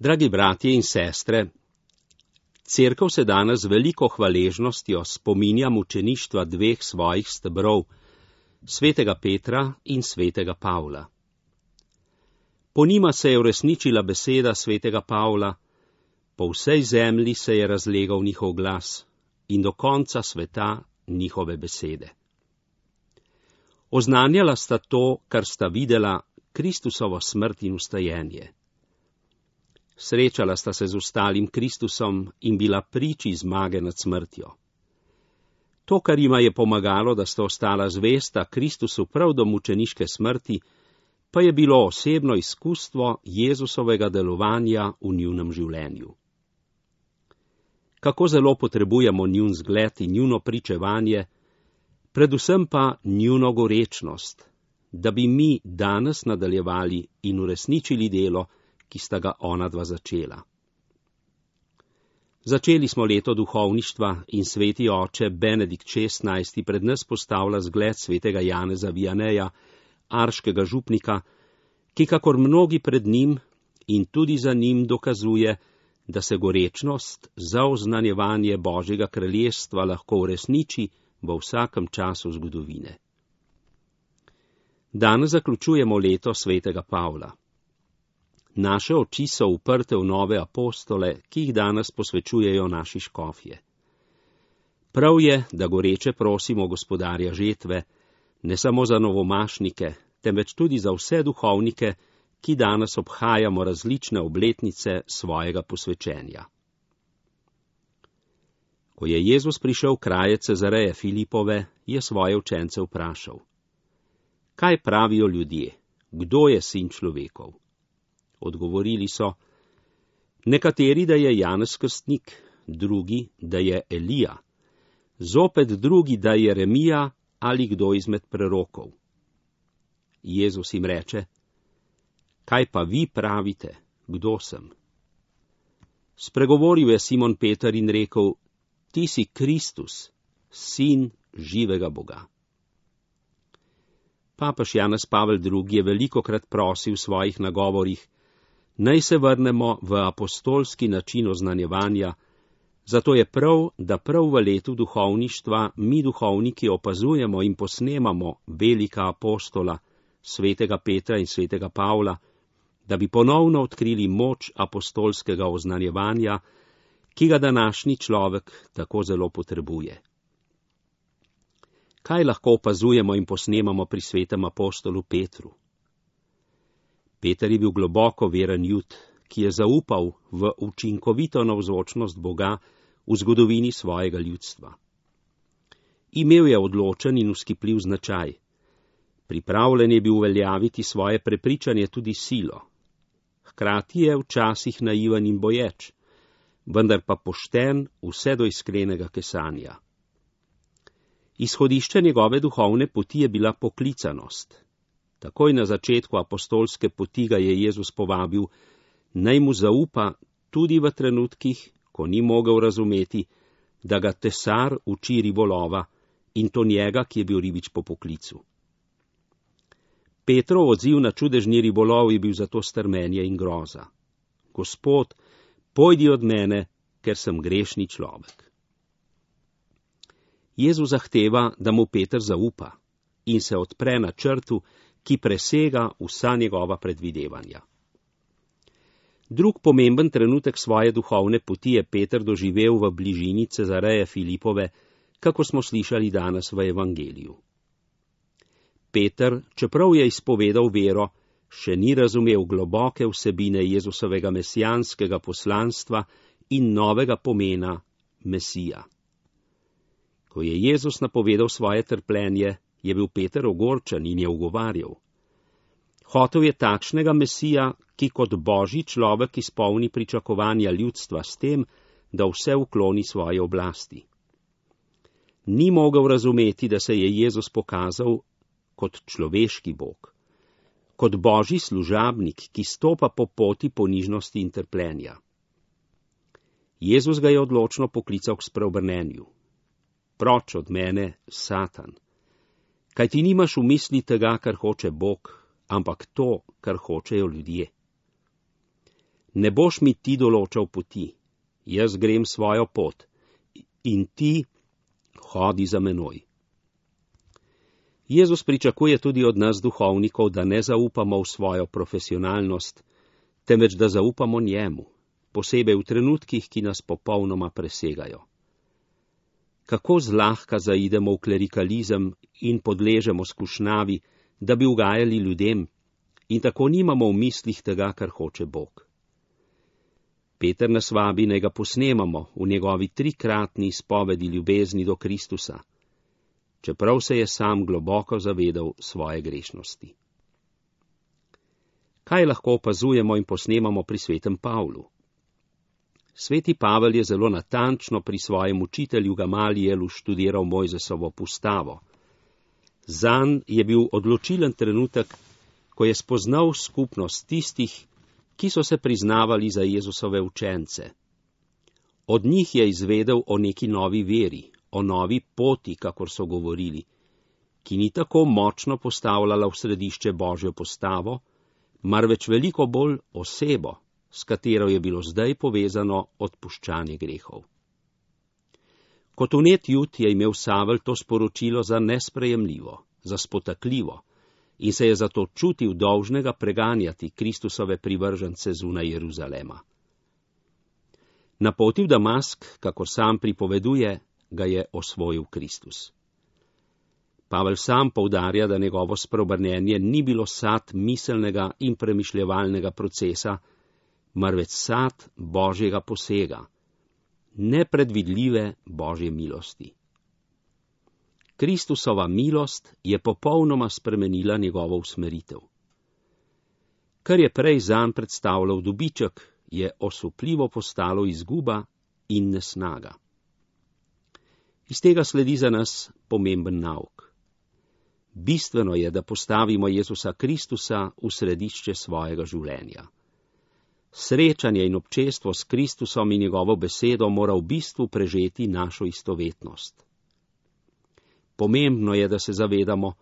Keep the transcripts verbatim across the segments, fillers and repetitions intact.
Dragi bratje in sestre, Cerkev se danes z veliko hvaležnostjo spominja mučeništva dveh svojih stebrov, svetega Petra in svetega Pavla. Po njima se je uresničila beseda svetega Pavla, po vsej zemlji se je razlegal njihov glas in do konca sveta njihove besede. Oznanjala sta to, kar sta videla, Kristusovo smrt in vstajenje. Srečala sta se z ostalim Kristusom in bila priči zmage nad smrtjo. To, kar jima je pomagalo, da sta ostala zvesta Kristusu prav do mučeniške smrti, pa je bilo osebno izkustvo Jezusovega delovanja v njunem življenju. Kako zelo potrebujemo njun zgled in njuno pričevanje, predvsem pa njuno gorečnost, da bi mi danes nadaljevali in uresničili delo, ki sta ga onadva začela. Začeli smo leto duhovništva in sveti oče Benedikt šestnajsti pred nas postavlja zgled svetega Janeza Vianeja, arškega župnika, ki kakor mnogi pred njim in tudi za njim dokazuje, da se gorečnost za oznanjevanje Božjega kraljestva lahko uresniči v vsakem času zgodovine. Danes zaključujemo leto svetega Pavla. Naše oči so uprte v nove apostole, ki jih danes posvečujejo naši škofje. Prav je, da goreče prosimo gospodarja žetve, ne samo za novomašnike, temveč tudi za vse duhovnike, ki danes obhajamo različne obletnice svojega posvečenja. Ko je Jezus prišel v kraje Cezareje Filipove, je svoje učence vprašal: Kaj pravijo ljudje? Kdo je sin človekov? Odgovorili so: nekateri, da je Janez Krstnik, drugi, da je Elija, zopet drugi, da je Jeremija ali kdo izmed prerokov. Jezus jim reče: Kaj pa vi pravite, kdo sem? Spregovoril je Simon Peter in rekel: Ti si Kristus, sin živega Boga. Papež Janez Pavel drugi je velikokrat prosil v svojih nagovorih, naj se vrnemo v apostolski način oznanjevanja, zato je prav, da prav v letu duhovništva mi duhovniki opazujemo in posnemamo velika apostola, svetega Petra in svetega Pavla, da bi ponovno odkrili moč apostolskega oznanjevanja, ki ga današnji človek tako zelo potrebuje. Kaj lahko opazujemo in posnemamo pri svetem apostolu Petru? Peter je bil globoko veren Jud, ki je zaupal v učinkovito navzočnost Boga v zgodovini svojega ljudstva. Imel je odločen in vzkipljiv značaj. Pripravljen je bil uveljaviti svoje prepričanje tudi silo. Hkrati je včasih naiven in boječ, vendar pa pošten vse do iskrenega kesanja. Izhodišče njegove duhovne poti je bila poklicanost. Takoj na začetku apostolske poti ga je Jezus povabil, naj mu zaupa tudi v trenutkih, ko ni mogel razumeti, da ga tesar uči ribolova in to njega, ki je bil ribič po poklicu. Petrov odziv na čudežni ribolov je bil zato strmenje in groza. Gospod, pojdi od mene, ker sem grešni človek. Jezus zahteva, da mu Peter zaupa in se odpre na črtu, ki presega vsa njegova predvidevanja. Drug pomemben trenutek svoje duhovne poti je Peter doživel v bližini Cezareje Filipove, kako smo slišali danes v evangeliju. Peter, čeprav je izpovedal vero, še ni razumel globoke vsebine Jezusovega mesijanskega poslanstva in novega pomena Mesija. Ko je Jezus napovedal svoje trpljenje, je bil Peter ogorčen in je ugovarjal. Hotel je takšnega Mesija, ki kot Božji človek izpolni pričakovanja ljudstva s tem, da vse ukloni svoje oblasti. Ni mogel razumeti, da se je Jezus pokazal kot človeški Bog, kot Božji služabnik, ki stopa po poti ponižnosti in trpljenja. Jezus ga je odločno poklical k spreobrnenju. Proč od mene, Satan, kaj ti nimaš v misli tega, kar hoče Bog, ampak to, kar hočejo ljudje. Ne boš mi ti določal poti, jaz grem svojo pot in ti hodi za menoj. Jezus pričakuje tudi od nas duhovnikov, da ne zaupamo v svojo profesionalnost, temveč da zaupamo njemu, posebej v trenutkih, ki nas popolnoma presegajo. Kako zlahka zaidemo v klerikalizem in podležemo skušnjavi, da bi ugajali ljudem, in tako nimamo v mislih tega, kar hoče Bog. Peter nas vabi, naj ga posnemamo v njegovi trikratni izpovedi ljubezni do Kristusa, čeprav se je sam globoko zavedal svoje grešnosti. Kaj lahko opazujemo in posnemamo pri svetem Pavlu? Sveti Pavel je zelo natančno pri svojem učitelju Gamalijelu študiral Mojzesovo postavo. Zanj je bil odločilen trenutek, ko je spoznal skupnost tistih, ki so se priznavali za Jezusove učence. Od njih je izvedel o neki novi veri, o novi poti, kakor so govorili, ki ni tako močno postavljala v središče Božjo postavo, marveč veliko bolj osebo, s katero je bilo zdaj povezano odpuščanje grehov. Kot vnet jud je imel Savel to sporočilo za nesprejemljivo, za spotakljivo, in se je zato čutil dolžnega preganjati Kristusove privržence zunaj Jeruzalema. Na poti v Damask, kakor sam pripoveduje, ga je osvojil Kristus. Pavel sam poudarja, da njegovo spreobrnenje ni bilo sad miselnega in premišljevalnega procesa, marveč sad Božjega posega, nepredvidljive Božje milosti. Kristusova milost je popolnoma spremenila njegovo usmeritev. Kar je prej zanj predstavljal dobiček, je osupljivo postalo izguba in nesnaga. Iz tega sledi za nas pomemben nauk. Bistveno je, da postavimo Jezusa Kristusa v središče svojega življenja. Srečanje in občestvo s Kristusom in njegovo besedo mora v bistvu prežeti našo istovetnost. Pomembno je, da se zavedamo,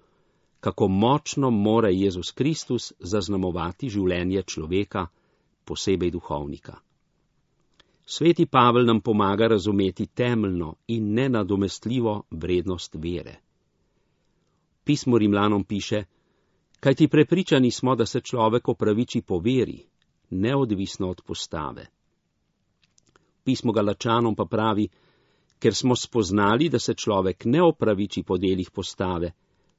kako močno mora Jezus Kristus zaznamovati življenje človeka, posebej duhovnika. Sveti Pavel nam pomaga razumeti temeljno in nenadomestljivo vrednost vere. Pismo Rimljanom piše, kajti prepričani smo, da se človek opraviči po veri, neodvisno od postave. Pismo Galačanom pa pravi, ker smo spoznali, da se človek ne opraviči po delih postave,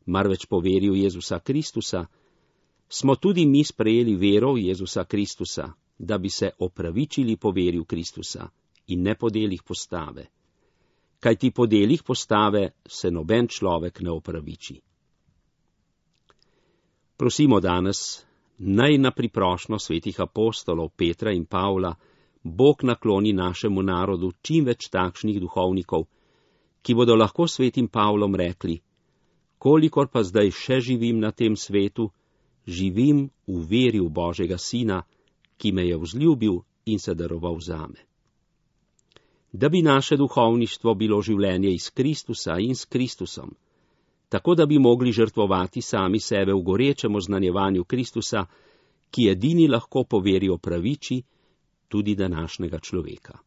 marveč po veri v Jezusa Kristusa, smo tudi mi sprejeli vero v Jezusa Kristusa, da bi se opravičili po veri v Kristusa in ne po delih postave. Kajti po delih postave se noben človek ne opraviči. Prosimo danes, naj na priprošnjo svetih apostolov Petra in Pavla Bog nakloni našemu narodu čim več takšnih duhovnikov, ki bodo lahko svetim Pavlom rekli, kolikor pa zdaj še živim na tem svetu, živim v veri v Božjega Sina, ki me je vzljubil in se daroval zame. Da bi naše duhovništvo bilo življenje iz Kristusa in s Kristusom, tako da bi mogli žrtvovati sami sebe v gorečem oznanjevanju Kristusa, ki edini lahko po veri opraviči tudi današnjega človeka.